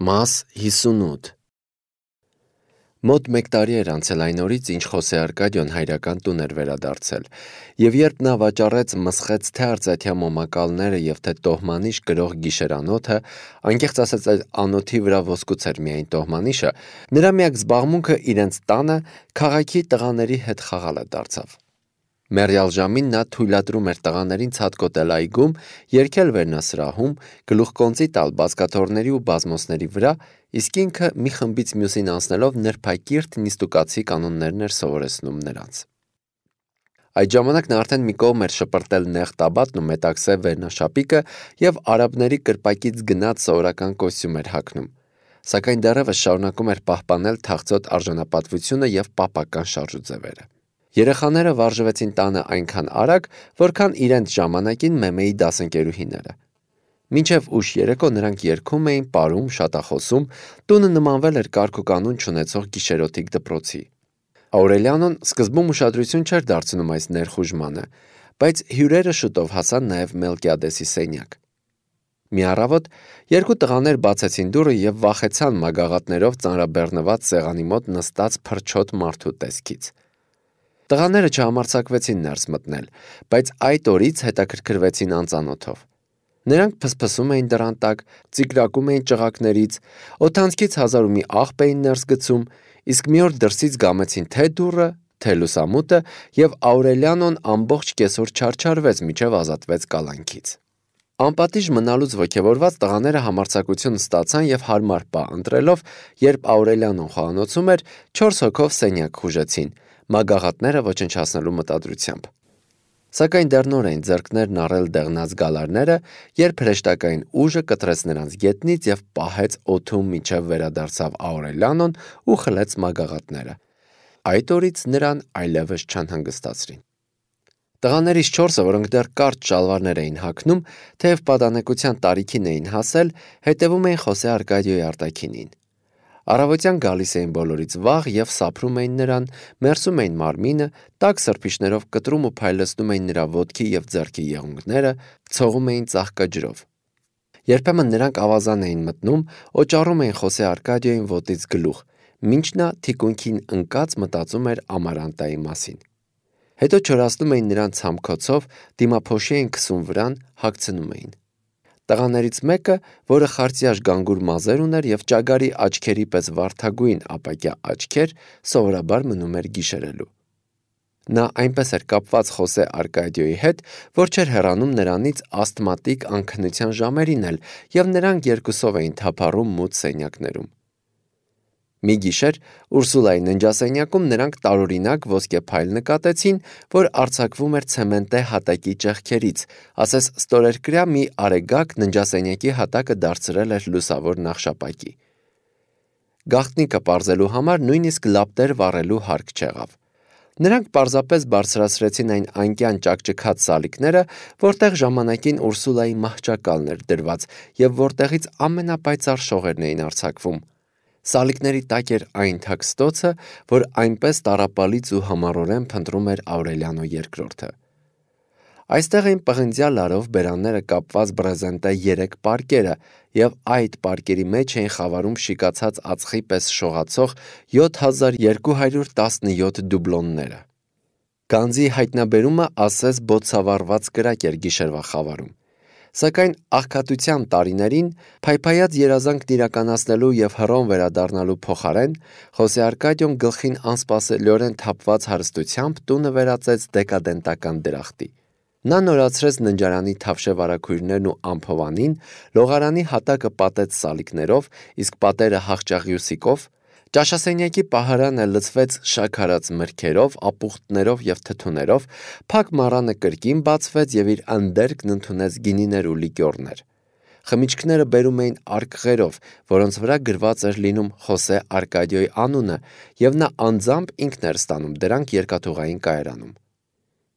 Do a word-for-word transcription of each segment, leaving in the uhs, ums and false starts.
Մաս հիսունութ Մոտ մեկ տարի էր անցել այն օրից, ինչ Խոսե Արկադիոն հայրական տուն էր վերադարձել, և երբ նա վաճառեց մսխեց թե արծաթյա մոմակալները և թե տոհմանիշ կրող գիշերանոթը, անկեղծ ասած այդ անոթի վրա ոսկուց էր միայն տոհմանիշը, նրա միակ զբաղմունքը իրենց տանը քաղաքի տղաների հետ խաղալը դարձավ։ Մեռյալ ժամին նա թույլատրում էր տղաներին ցատկոտել այգում, երգել վերնասրահում, գլուխկոնծի տալ բազկաթոռների ու բազմոցների վրա, իսկ ինքը մի խմբից մյուսին անցնելով նրբակիրթ նիստուկացի կանոններն էր սովորեցնում նրանց։ Այդ ժամանակ նա արդեն մի կողմ էր շպրտել նեղ տաբատն ու մետաքսե վերնաշապիկը և արաբների կրպակից գնած սովորական կոստյում էր հագնում, սակայն դեռևս շարունակում էր պահպանել թախծոտ արժանապատվությունը և պապական շարժուձևերը։ Երեխաները վարժվեցին տանը այնքան արագ, որքան իրենց ժամանակին Մեմեի դասընկերուհիները։ Մինչև ուշ երեկո նրանք երգում էին, պարում, շատախոսում, տունը նմանվել էր կարգուկանոն չունեցող գիշերօթիկ դպրոցի։ Աուրելիանոն սկզբում ուշադրություն չէր դարձնում այս ներխուժմանը, բայց հյուրերը շուտով հասան նաև Մելկիադեսի սենյակ։ Մի առավոտ երկու տղաներ բացեցին դուռը և վախեցան մագաղաթներով ծանրաբեռնված սեղանի մոտ նստած փրչոտ մարդու տեսքից։ Տղաները չհամարձակվեցին ներս մտնել, բայց այդ օրից հետաքրքրվեցին անծանոթով։ Նրանք փսփսում էին դռան տակ, ծիկրակում էին ճղակներից, օդանցքից հազար ու մի աղբ էին ներս գցում, իսկ մի օր դրսից գամեցին թե դուռը, թե լուսամուտը, և Աուրելիանոն ամբողջ կեսօր չարչարվեց, մինչև ազատվեց կալանքից։ Անպատիժ մնալուց ոգևորված տղաները համարձակություն ստացան և հարմար պահ ընտրելով, երբ Աուրելիանոն խոհանոցում էր, չորս հոգով սենյակ խուժեցին, մագաղաթները ոչնչացնելու մտադրությամբ։ Սակայն դեռ նոր էին ձեռքներն առել դեղնած գալարները, երբ հրեշտակային ուժը կտրեց նրանց գետնից և պահեց օդում, մինչև վերադարձավ Աուրելիանոն ու խլեց մագաղաթները։ Այդ օրից նրան այլևս չանհանգստացրին։ Տղաներից չորսը, որոնք դեռ կարճ շալվարներ էին հագնում, թեև պատանեկության տարիքին էին հասել, հետևում էին Խոսե Արկադիոյի արտաքինին։ Առավոտյան գալիս էին բոլորից վաղ և սափրում էին նրան, մերսում էին մարմինը, տաք սրբիչներով կտրում ու փայլեցնում էին նրա ոտքի և ձեռքի եղունգները, ցողում էին ծաղկաջրով։ Երբեմն նրանք ավազան էին մտնում, օճառում էին Խոսե Արկադիոյին ոտից գլուխ, մինչ նա թիկունքին ընկած մտածում էր Ամարանտայի մասին։ Հետո չորացնում էին նրան ցամքոցով, դիմափոշի էին քսում վրան, հագցնում էին։ Տղաներից մեկը, որը խարծյաշ գանգուր մազեր ուներ և ճագարի աչքերի պես վարդագույն ապակյա աչքեր, սովորաբար մնում էր գիշերելու։ Նա այնպես էր կապված Խոսե Արկադիոյի հետ, որ չէր հեռանում նրանից ասթմատիկ անքնության ժամերին էլ, և նրանք երկուսով էին թափառում մութ սենյակներում։ Մի գիշեր Ուրսուլայի ննջասենյակում նրանք տարօրինակ ոսկեփայլ նկատեցին, որ արձակվում էր ցեմենտե հատակի ճեղքերից, ասես ստորերկրյա մի արեգակ ննջասենյակի հատակը դարձրել էր լուսավոր նախշապակի։ Գաղտնիքը պարզելու համար նույնիսկ լապտեր վառելու հարկ չեղավ։ Նրանք պարզապես բարձրացրեցին այն անկյան ճաքճքած սալիկները, որտեղ ժամանակին Ուրսուլայի մահճակալն էր դրված և որտեղից ամենապայծառ շողերն էին արձակվում։ Սալիկների տակ էր այն թաքստոցը, որ այնպես տառապալից ու համառորեն փնտրում էր Աուրելիանո երկրորդը։ Այստեղ էին պղնձյա լարով բերանները կապված բրեզենտե երեք պարկերը, և այդ պարկերի մեջ էին խավարում շիկացած ածխի պես շողացող յոթ հազար երկու հարյուր տասնյոթ դուբլոնները։ Գանձի հայտնաբերումը ասես բոցավառված կրակ էր գիշերվա խավարում։ Սակայն աղքատության տարիներին, փայփայած երազանքն իրականացնելու և հռոմ վերադառնալու փոխարեն, Խոսե Արկադիոն գլխին անսպասելիորեն թափված հարստությամբ տունը վերածեց դեկադենտական դրախտի։ Նա նորացրեց ննջարանի թավշե վարագույրներն ու ամփովանին, լողարանի հատակը պատեց սալիկներով, իսկ պատերը հախճաղյուսիկով, ճաշասենյակի պահարանը լցվեց շաքարած մրգերով, ապուխտներով և թթուներով, փակ մառանը կրկին բացվեց և իր ընդերքն ընդունեց գինիներ ու լիկյորներ։ Խմիչքները բերում էին արկղերով, որոնց վրա գրված էր լինում Խոսե Արկադիոյի անունը, և նա անձամբ ինքն էր ստանում դրանք երկաթուղային կայարանում։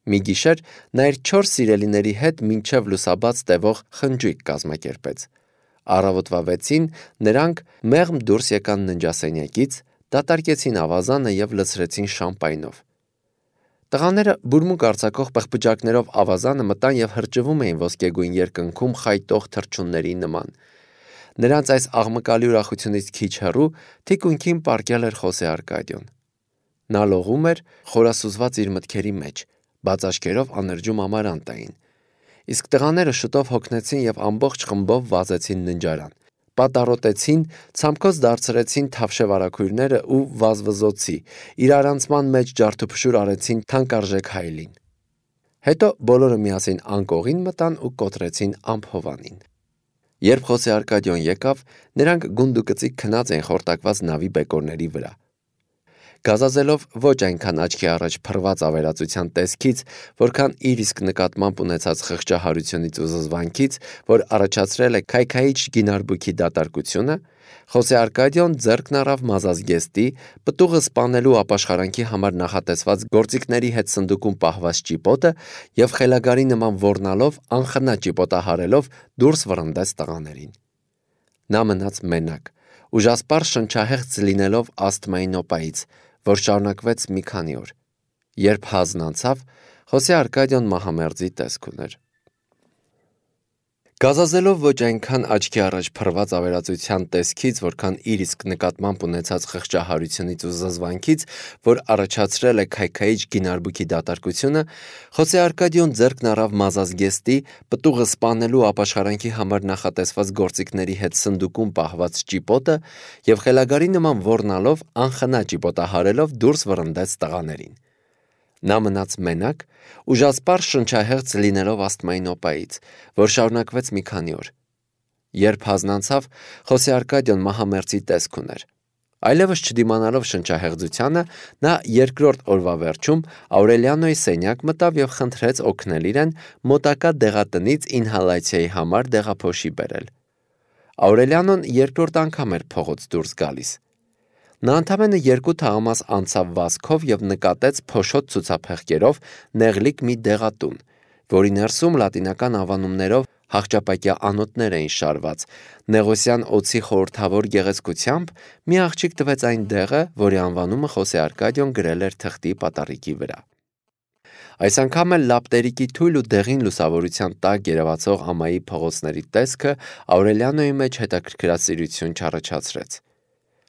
Մի գիշեր նա իր չորս սիրելիների հետ մինչև լուսաբաց տևող խնջույք կազմակերպեց։ Առավոտվա վեցին նրանք մեղմ դուրս եկան ննջասենյակից, դատարկեցին ավազանը և լցրեցին շամպայնով։ Տղաները բուրմունք արձակող պղպջակներով ավազանը մտան և հրճվում էին ոսկեգույն երկնքում խայտող թռչունների նման։ Նրանց այս աղմկալի ուրախությունից քիչ հեռու թիկունքին պառկել էր Խոսե Արկադիոն։ Նա լողում էր, խորասուզված իր մտքերի մեջ, բաց աչքերով աներջում ամարանտ էին։ Իսկ տղաները շուտով հոգնեցին եւ ամբողջ խմբով վազեցին ննջարան։ Պատառոտեցին, ցամքոց դարձրեցին թավշե վարագույրները ու վազվզոցի, իրարանցման մեջ ջարդուփշուր արեցին թանկարժեք հայելին։ Հետո բոլորը միասին անկողին մտան ու կոտրեցին ամփովանին։ Երբ Խոսե Արկադիոն եկավ, նրանք գունդուկծիկ քնած էին խորտակված նավի բեկորների վրա։ Գազազելով ոչ այնքան աչքի առաջ փռված ավերածության տեսքից, որքան իր իսկ նկատմամբ ունեցած խղճահարությունից ու զզվանքից, որ առաջացրել է քայքայիչ գինարբուքի դատարկությունը, Խոսե Արկադիոն ձեռքն առավ մազազգեստի, պտուղը սպանելու ապաշխարանքի համար նախատեսված գործիքների հետ սնդուկում պահված ճիպոտը եւ խելագարի նման ոռնալով անխնա ճիպոտահարելով դուրս վռնդեց տղաներին։ Նա մնաց մենակ, ուժասպառ շնչահեղձ լինելով ասթմայի նոպայից, որ շարունակվեց մի քանի օր։ Երբ հազն անցավ, Խոսե Արկադիոն մահամերձի տեսք ուներ։ Գազազելով ոչ այնքան աչքի առաջ փռված ավերածության տեսքից, որքան իր իսկ նկատմամբ ունեցած խղճահարությունից ու զզվանքից, որ առաջացրել է քայքայիչ գինարբուքի դատարկությունը, Խոսե Արկադիոն ձեռքն առավ մազազգեստի, պտուղը սպանելու ապաշխարանքի համար նախատեսված գործիքների հետ սնդուկում պահված ճիպոտը եւ խելագարի նման ոռնալով անխնա ճիպոտահարելով դուրս վռնդեց տղաներին։ Նա մնաց մենակ, ուժասպառ շնչահեղձ լինելով ասթմայի նոպայից, որ շարունակվեց մի քանի օր։ Երբ հազն անցավ, Խոսե Արկադիոն մահամերձի տեսք ուներ։ Այլևս չդիմանալով շնչահեղձությանը, նա երկրորդ օրվա վերջում Աուրելիանոյի սենյակ մտավ եւ խնդրեց օգնել իրեն մոտակա դեղատնից ինհալացիայի համար դեղափոշի բերել։ Աուրելիանոն երկրորդ անգամ էր փողոց դուրս գալիս։ Նա ընդամենը երկու թաղամաս անցավ վազքով եւ նկատեց փոշոտ ցուցափեղկերով նեղլիկ մի դեղատուն, որի ներսում լատինական ավանումներով հաղճապակյա անոթներ էին շարված։ Նեղոսյան օձի խորհրդավոր գեղեցկությամբ մի աղջիկ տվեց այն դեղը, որի անվանումը Խոսե Արկադիոն գրել էր թղթի պատառիկի վրա։ Այս անգամ էլ լապտերիկի թույլ ու դեղին լուսավորության տակ երևացող ամայի փողոցների տեսքը Աուրելիանոյի մեջ հետաքրքրասիրություն չառաջացրեց։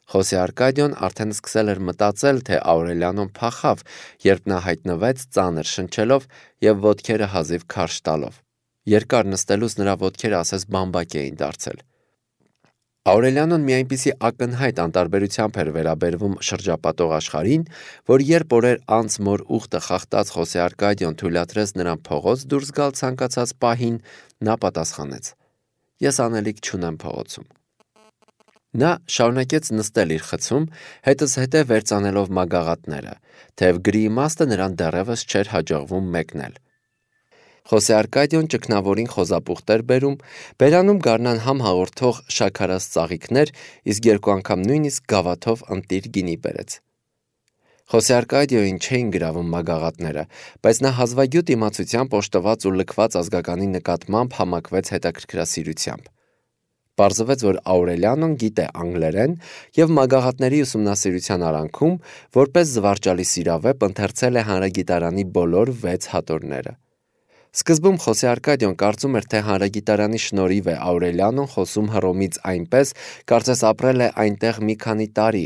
Խոսե Արկադիոն արդեն սկսել էր մտածել, թե Աուրելիանոն փախավ, երբ նա հայտնվեց ծանր շնչելով եւ ոտքերը հազիվ քարշ տալով։ Երկար նստելուց նրա ոտքերը ասես բամբակ էին դարձել։ Աուրելիանոն մի այնպիսի ակնհայտ անտարբերությամբ էր վերաբերվում շրջապատող աշխարհին, որ երբ օրեր անց մոր ուխտը խախտած Խոսե Արկադիոն թույլատրեց նրան փողոց դուրս գալ ցանկացած պահին, նա պատասխանեց. Ես անելիք չունեմ փողոցում։ Նա շարունակեց նստել իր խցում, հետզհետե վերծանելով մագաղատները, թեև գրի իմաստը նրան դեռևս չէր հաջողվում մեկնել։ Խոսե Արկադիոն ճգնավորին խոզապուխտ էր բերում, բերանում գարնան համ հաղորդող շաքարած ծաղիկներ, իսկ երկու անգամ նույնիսկ գավաթով ընտիր գինի բերեց։ Խոսե Արկադիոյին չէին գրավում մագաղատները, բայց նա հազվագյուտ իմացությամբ օժտված ու լքված ազգականի նկատմամբ համակվեց հետաքրքրասիրությամբ։ Պարզվեց, որ Աուրելիանոն գիտե անգլերեն եւ մագաղատների ուսումնասիրության արանքում, որպես զվարճալի սիրավեպ, ընթերցել է հանրագիտարանի բոլոր վեց հատորները։ Սկզբում Խոսե Արկադիոն կարծում էր, թե հանրագիտարանի շնորհիվ է Աուրելիանոն խոսում Հռոմից այնպես, կարծես ապրել է այնտեղ մի քանի տարի,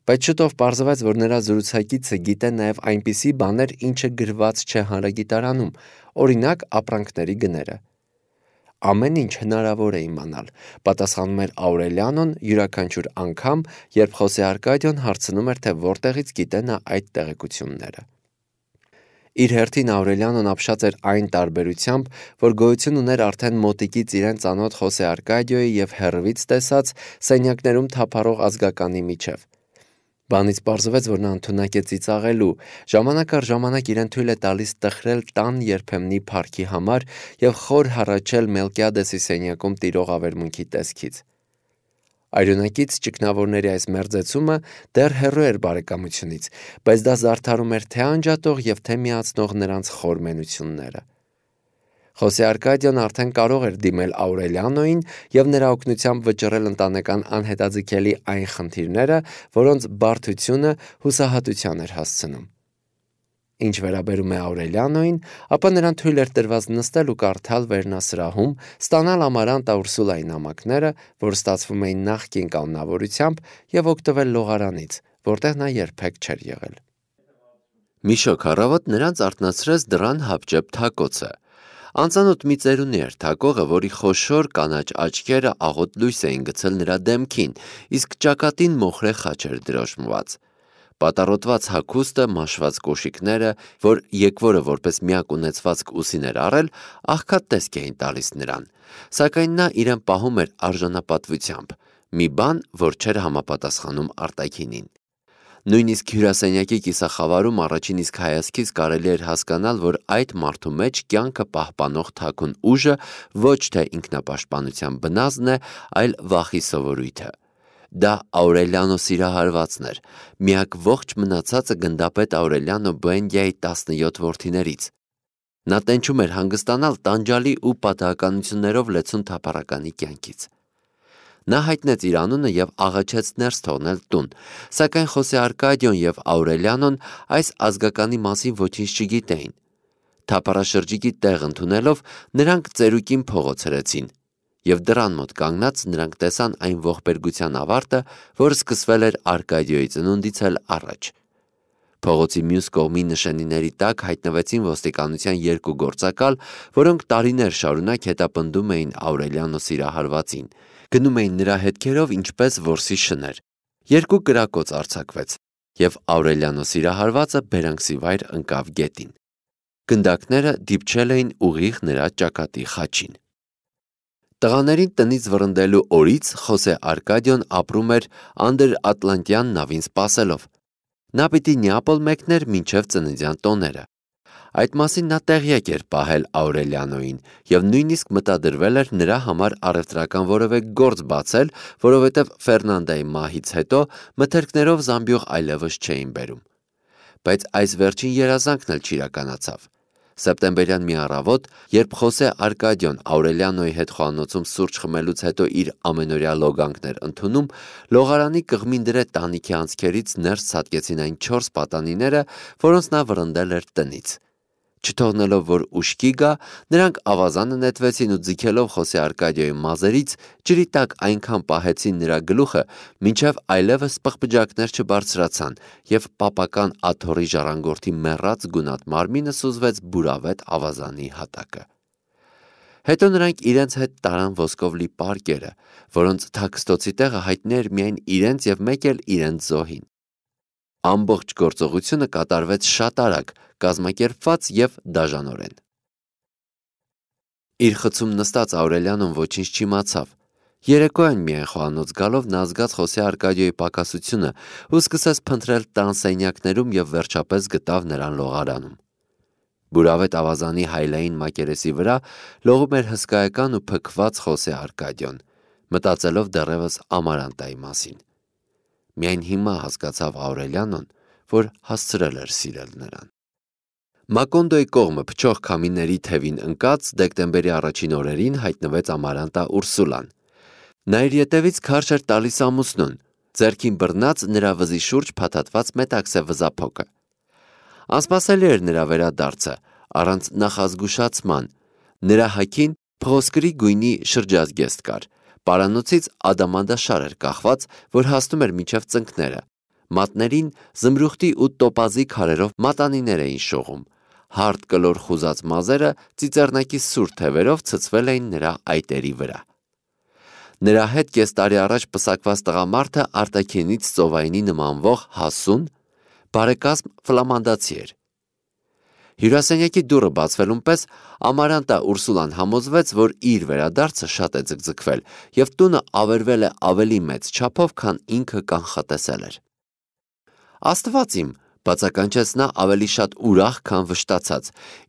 բայց շուտով պարզվեց, որ նրա զրուցակիցը գիտե նաեւ այնպիսի բաներ, ինչը գրված չէ հանրագիտարանում, օրինակ ապրանքների գները։ Ամեն ինչ հնարավոր է իմանալ, պատասխանում էր Աուրելիանոն յուրաքանչյուր անգամ, երբ Խոսե Արկադիոն հարցնում էր, թե որտեղից գիտե նա այդ տեղեկությունները։ Իր հերթին Աուրելիանոն ապշած էր այն տարբերությամբ, որ գոյություն ուներ արդեն մոտիկից իրեն ծանոթ Խոսե Արկադիոյի եւ հեռվից տեսած սենյակներում թափառող ազգականի միջև։ Բանից պարզվեց, որ նա ընդունակ է ծիծաղելու, ժամանակ առ ժամանակ իրեն թույլ է տալիս տխրել տան երբեմնի փառքի համար եւ խոր հառաչել Մելկիադեսի սենյակում տիրող ավերմունքի տեսքից։ Այրունակից ճգնավորների այս մերձեցումը դեռ հեռու էր բարեկամությունից, բայց դա զարդարում էր թե անջատող եւ թե միացնող նրանց խոր մենությունները։ Խոսե Արկադիոն արդեն կարող էր դիմել Աուրելիանոյին եւ նրա օգնությամբ վճռել ընտանեկան անհետաձգելի այն խնդիրները, որոնց բարդությունը հուսահատության էր հասցնում։ Ինչ վերաբերում է Աուրելիանոին, ապա նրան թույլ էր տրված նստել ու կարդալ վերնասրահում, ստանալ Ամարանտա Ուրսուլայի նամակները, որ ստացվում էին նախկին կանոնավորությամբ, եւ օգտվել լողարանից, որտեղ նա երբեք չէր եղել։ Մի շոգ առավոտ նրանց արթնացրեց դռան հապճեպ թակոցը։ Անծանոթ մի ծերունի էր թակողը, որի խոշոր կանաչ աչքերը աղոտ լույս էին գցել նրա դեմքին, իսկ ճակատին մոխրե խաչ էր դրոշմված։ Պատառոտված հագուստը, մաշված կոշիկները, որ եկվորը որպես միակ ունեցվածք ուսին էր առել, աղքատ տեսք էին տալիս նրան, սակայն նա իրեն պահում էր արժանապատվությամբ, մի բան, որ չէր համապատասխանում արտաքինին։ Նույնիսկ հյուրասենյակի կիսախավարում առաջին իսկ հայացքից կարելի էր հասկանալ, որ այդ մարդու մեջ կյանքը պահպանող թաքուն ուժը ոչ թե ինքնապաշտպանության բնազդն է, այլ վախի սովորույթը։ Դա Աուրելիանո սիրահարվածն էր, միակ ողջ մնացածը գնդապետ Աուրելիանո Բուենդիայի տասնյոթ որդիներից։ Նա տենչում էր հանգստանալ տանջալի ու պատահականություններով լեցուն թափառականի կյանքից։ Նա հայտնեց իր անունը եւ աղաչեց ներս թողնել տուն, սակայն Խոսե Արկադիոն եւ Աուրելիանոն այս ազգականի մասին ոչինչ չգիտեին։ Թափառաշրջիկի տեղ ընդունելով նրանք ծերուկին փողոց հրեցին, եւ դռան մոտ կանգնած նրանք տեսան այն ողբերգության ավարտը, որ սկսվել էր Արկադիոյի ծնունդից էլ առաջ։ Փողոցի մյուս կողմի նշանիների տակ հայտնվեցին ոստիկանության երկու գործակալ, որոնք տարիներ շարունակ հետապնդում էին Աուրելիանո սիրահարվածին, գնում էին նրա հետքերով ինչպես որսի շներ։ Երկու կրակոց արձակվեց, եւ Աուրելիանո սիրահարվածը բերանքսի վայր ընկավ գետին։ Գնդակները դիպչել էին ուղիղ նրա ճակատի խաչին։ Տղաներին տնից վռնդելու օրից Խոսե Արկադիոն ապրում էր անդրատլանտյան նավին սպասելով։ Նա պիտի Նեապոլ մեկներ մինչև ծննդյան տոները։ Այդ մասին նա տեղյակ էր պահել Աուրելիանոին եւ նույնիսկ մտադրվել էր նրա համար առևտրական որևէ գործ բացել, որովհետեւ Ֆերնանդայի մահից հետո մթերքներով զամբյուղ այլևս չէին բերում։ Բայց այս վերջին երազանքն էլ չիրականացավ։ Սեպտեմբերյան մի առավոտ, երբ Խոսե Արկադիոն Աուրելիանոյի հետ խոհանոցում սուրճ խմելուց հետո իր ամենօրյա լոգանքն էր ընդունում, լողարանի կղմին դրե տանիքի անցքերից ներս ցատկեցին այն չորս պատանիները, որոնց նա վռնդել էր տնից։ Չթողնելով, որ ուշքի գա, նրանք ավազանը նետվեցին ու ձգելով Խոսե Արկադիոյի մազերից ջրի տակ այնքան պահեցին նրա գլուխը, մինչև այլևս պղպջակներ չբարձրացան, եւ պապական աթոռի ժառանգորդի մեռած գունատ մարմինը սուզվեց բուրավետ ավազանի հատակը։ Հետո նրանք իրենց հետ տարան ոսկով լի պարկերը, որոնց թաքստոցի տեղը հայտնի էր միայն իրենց եւ մեկ էլ իրենց զոհին։ Ամբողջ գործողությունը կատարվեց շատ արագ, կազմակերպված եւ դաժանորեն։ Իր խցում նստած Աուրելիանոն ոչինչ չիմացավ։ Երեկոյան միայն խոհանոց գալով նա զգաց Խոսե Արկադիոյի պակասությունը ու սկսեց փնտրել տան սենյակներում եւ վերջապես գտավ նրան լողարանում։ Բուրավետ ավազանի հայլային մակերեսի վրա լողում էր հսկայական ու փքված Խոսե Արկադիոն, մտածելով դեռևս Ամարանտայի մասին։ Միայն հիմա հասկացավ Աուրելիանոն, որ հասցրել էր սիրել նրան։ Մակոնդոյի կողմը փչող քամիների թևին ընկած դեկտեմբերի առաջին օրերին հայտնվեց Ամարանտա Ուրսուլան։ Նա իր ետևից քարշ էր տալիս ամուսնուն, ձեռքին բռնած նրա վզի շուրջ փաթաթված մետաքսե վզափոկը։ Անսպասելի էր նրա վերադարձը, առանց նախազգուշացման։ Նրա հագին փղոսկրի գույնի շրջազգեստ կար, պարանոցից ադամանդաշար էր կախված, որ հասնում էր մինչև ծնկները։ Մատներին զմրուխտի ու տոպազի քարերով մատանիներ էին շողում։ Հարթ կլոր խուզած մազերը ծիծեռնակի սուր թևերով ցցվել էին նրա այտերի վրա։ Նրա հետ կես տարի առաջ պսակված տղամարդը արտաքինից ծովայինի նմանվող հասուն, բարեկազմ ֆլամանդացի էր։ Հյուրասենյակի դուռը բացվելուն պես Ամարանտա Ուրսուլան համոզվեց, որ իր վերադարձը շատ է ձգձգվել եւ տունը ավերվել է ավելի մեծ չափով, քան ինքը կանխատեսել էր։ Աստված իմ, բացականչեց նա ավելի շատ ուրախ, քան վշտացած,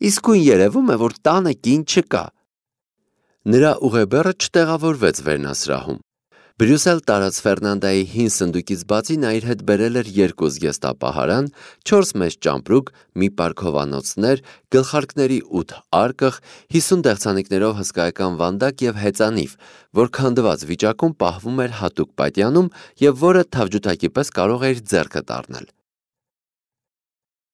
իսկույն երևում է, որ տանը կին չկա։ Նրա ուղեբեռը չտեղավորվեց վերնասրահում։ Բրյուսել տարած Ֆերնանդայի հին սնդուկից բացի նա իր հետ բերել էր երկու զգեստապահարան, չորս մեծ ճամպրուկ, մի պարկ հովանոցներ, գլխարկների ութ արկղ, հիսուն դեղցանիկներով հսկայական վանդակ եւ հեծանիվ, որ քանդված վիճակում պահվում էր հատուկ պատյանում եւ որը թավջութակի պես կարող էր ձեռքդ առնել։